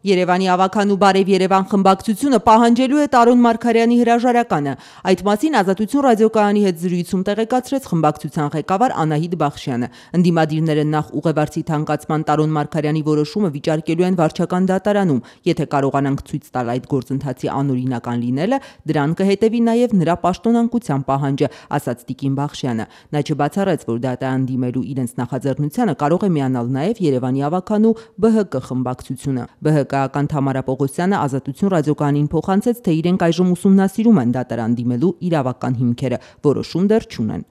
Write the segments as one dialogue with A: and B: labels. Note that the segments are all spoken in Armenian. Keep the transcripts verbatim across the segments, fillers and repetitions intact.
A: Երևանի ավագանու Բարև Երևան խմբակցությունը պահանջելու է Տարոն Մարգարյանի հրաժարականը։ Այդ մասին Ազատություն ռադիոկայանի հետ զրույցում տեղեկացրեց խմբակցության ղեկավար Անահիտ Բախշյանը։ Ընդդիմադիրները նախ ուղևորցի թանկացման Տարոն Մարգարյանի որոշումը վիճարկելու են վարչական դատարանում։ Եթե կարողանանք ցույց տալ այդ գործընթացի անօրինական լինելը, դրան կհետևի նաև նրա պաշտոնանկության պահանջը, ասաց Տիկին Բախշյանը։ Նա չբացառեց, որ դատարան դիմելու իրենց նախաձեռնությանը կարող է միանալ նաև Երևանի ավագանու Բ Հ Կ խմբակցությունը։ Բ Հ Կ-ական Թամարա Պողոսյանը Ազատություն ռադիոկայանին փոխանցեց, թե իրենք այժմ ուսումնասիրում են դատարան դիմելու իրավական հիմքերը, որոշում դեռ չունեն։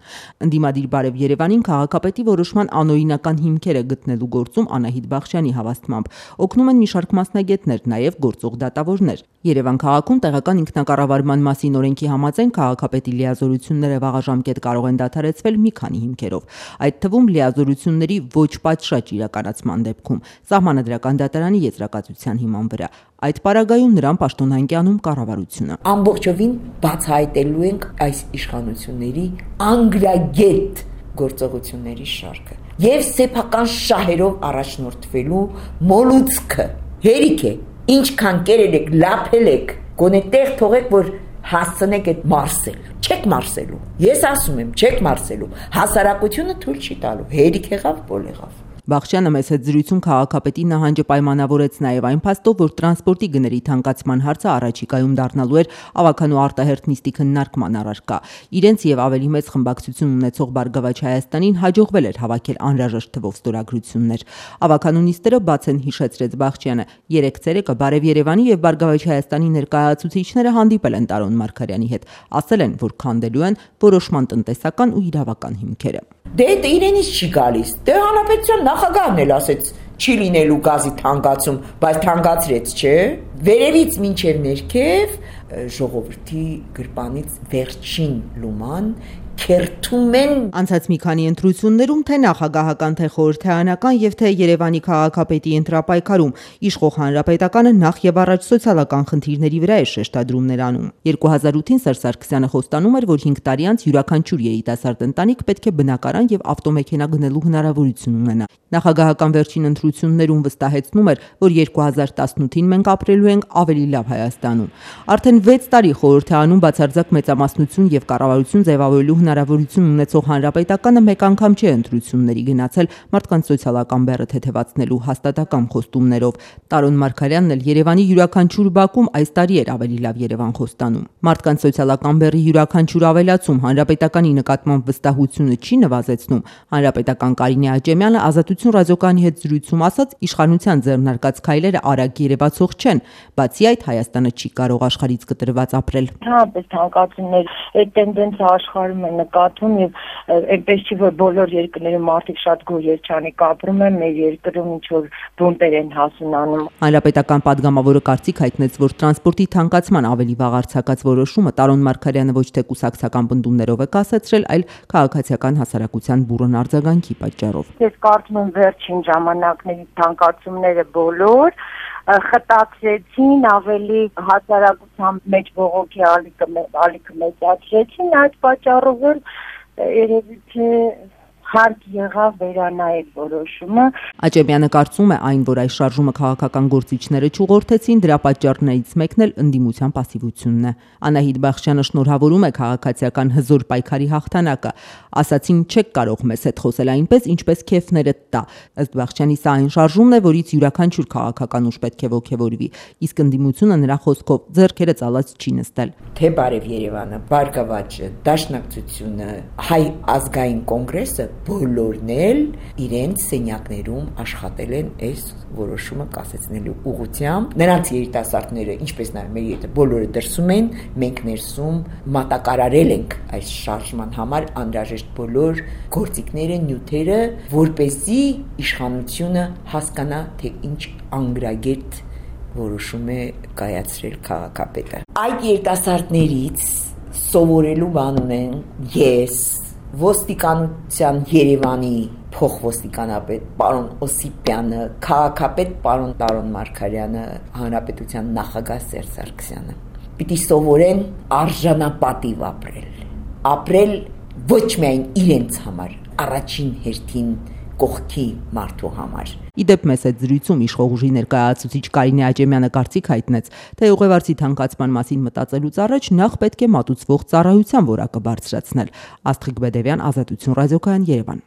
A: Ընդդիմադիր Բարև Երևանին քաղաքապետի որոշման անօրինական հիմքերը գտնելու գործում Անահիտ Բախշյանի հավաստմամբ օգնում են մի շարք մասնագետներ, նաև գործող դատավորներ։ Երևան քաղաքում տեղական ինքնակառավարման մասին օրենքի համաձայն քաղաքապետի լիազորությունները վաղաժամկետ կարող են դադարեցվել մի քանի հիմքերով, այդ թվում լիազորությունների ոչ պատշաճ իրականացման դեպքում, սահմանադրական դատարանի եզրակացության հիման վրա։ Այդ պարագայում նրան պաշտոնանկյանում կառավարությունը։
B: Ամբողջովին բացահայտելու ենք այս իշխանությունների անգրագետ գործողությունների շարքը եւ սեփական շահերով առաջնորդվելու մոլուցքը։ Հերիք է, ինչքան կերել եք, լափել եք, գոնե տեղ թողեք, որ հասցնեք այդ մարսել։ Չեք մարսելու։ Ես ասում եմ, չեք մարսելու։ Հասարակությունը թույլ չի տալու։ Հերիք եղավ, բոլ եղավ։
A: Բախշյանը մեծ հետ զրույցում քաղաքապետի նահանջը պայմանավորեց նաև այն փաստով, որ տրանսպորտի գների թանկացման հարցը առաջիկայում դառնալու էր ավագանու արտահերթ նիստի քննարկման առարկա։ Իրենց եւ ավելի մեծ խմբակցություն ունեցող Բարգավաճ Հայաստանին հաջողվել էր հավաքել անհրաժեշտ թվով ստորագրություններ։ Ավագանու նիստերը բաց են հիշեցրեց Բախշյանը։ Երեք ցերեկը Բարև Երևանի եւ Բարգավաճ Հայաստանի ներկայացուցիչները հանդիպել են Տարոն Մարգարյանի հետ, ասել են, որ քանդելու են որոշման տնտեսական ու իրավական հիմքերը։
B: Դե դա իրենից չի գալիս։ Դե հանրապետության նախագահն էլ ասեց չի լինելու գազի թանկացում, բայց թանկացրեց, չէ՞։ Վերևից մինչև ներքև ժողովրդի գրպանից վերջին լուման քերթում են։
A: Անցած մի քանի ընտրություններում թե նախագահական, թե խորհրդարանական եւ թե Երևանի քաղաքապետի ընտրապայքարում իշխող հանրապետականը նախ եւ առաջ սոցիալական խնդիրների վրա է շեշտադրումներ անում։ երկու հազար ութին Սերժ Սարգսյանը խոստանում էր, որ հինգ տարի անց յուրաքանչյուր երիտասարդ ընտանիք պետք է բնակարան եւ ավտոմեքենա գնելու հնարավորություն ունենա։ Նախագահական վերջին ընտրություններում վստահեցնում էր, որ երկու հազար տասնութին մենք ապրելու ենք ավելի լավ Հայաստանում։ Արդեն վեց տարի խորհրդարանում բացարձակ մեծամասնություն եւ կառավարություն ձևավորելու հնարավորություն ունեցող հանրապետականը մեկ անգամ չէ ընտրությունների գնացել մարդկանց սոցիալական բեռը թեթևացնելու հաստատակամ խոստումներով։ Տարոն Մարգարյանն էլ Երևանի յուրաքանչյուր բակում այս տարի էր ավելի լավ Երևան խոստանում։ Մարդկանց սոցիալական բեռի յուրաքանչյուր ավելացում հանրապետականի նկատմամբ վստահությունը չի նվազեցնում։ Հանրապետական Կարինե Աճեմյանը Ազատություն ռադիոկայանի հետ զրույցում ասաց, իշխանության ձեռնարկած քայլերը արագ երևացող չեն, բացի այդ Հայաստանը չի կարող աշխարհից կտրված ապրել։
C: Հապես թանկացումներ, այդ տենդենսը աշխարհում է նկատվում եւ այնպես չի, որ բոլոր երկրներում մարդիկ շատ գոհ երջանիկ ապրում են, մեր երկրում ինչ որ բունտեր են հասունանում։
A: Հանրապետական падգամավորը կարծիք հայտնեց, որ տրանսպորտի թանկացման ավելի վաղ արձակած որոշումը Տարոն Մարգարյանը ոչ թե կուսակցական բնդումներով է կասեցրել, այլ քաղաքացիական հասարակության բուրըն արձագանքի պատճառով։
C: Ես կարծում եմ վերջին ժամանակների թանկացումները բոլոր խտացրեցին, ավելի հասարակության մեջ բողոքի ալիքը ալիքը մեծացրեցին, այդ պատճառով էլ երևի թե հարկ եղավ վերանայել որոշումը։
A: Աճեմյանը կարծում է այն, որ այս շարժումը քաղաքական գործիչները չուղղորդեցին, դրա պատճառներից մեկն էլ ընդդիմության պասիվությունն է։ Անահիտ Բախշյանը շնորհավորում է քաղաքացիական հզոր պայքարի հաղթանակը։ Ասացին չեք կարող մեզ հետ խոսել այնպես, ինչպես քեֆներդ տա։ Ըստ Բախշյանի սա այն շարժումն է, որից յուրաքանչյուր քաղաքական ուժ պետք է ոգևորվի, իսկ ընդդիմությունը նրա խոսքով ձեռքերը ծալած չի նստել։
B: Թե Բարև Երևանը, Բարգավաճը, Դաշնակցությունը, Հայ ազգային կոնգրեսը բոլորն էլ իրենց սենյակներում աշխատել են այս որոշումը կասեցնելու ուղղությամբ։ Նրանց երիտասարդները, ինչպես նաև մեր եթե բոլորը դրսում են, մենք ներսում մատակարարել ենք այս շարժման համար անհրաժեշտ բոլոր գործիքները, նյութերը, որպեսզի իշխանությունը հասկանա, թե ինչ անգրագետ որոշում է կայացրել քաղաքապետը։ Այդ երիտասարդներից սովորելու բան ունեն ես, ոստիկանության Երևանի փոխոստիկանապետ պարոն Օսիպյանը, քաղաքապետ պարոն Տարոն Մարգարյանը, հանրապետության նախագահ Սերժ Սարգսյանը։ Պիտի սովորեն արժանապատիվ ապրել։ Ապրել ոչ միայն իրենց համար, առաջին հերթին կողքի մարդու համար։
A: Իդեպ մեծ այդ զրույցում իշխող ուժի ներկայացուցիչ Կարինե Աճեմյանը կարծիք հայտնեց, թե ուղևորցի թանկացման մասին մտածելուց առաջ նախ պետք է մատուցվող ծառայության որակը բարձրացնել։ Աստղիկ Բեդևյան, Ազատություն ռադիոկայան, Երևան։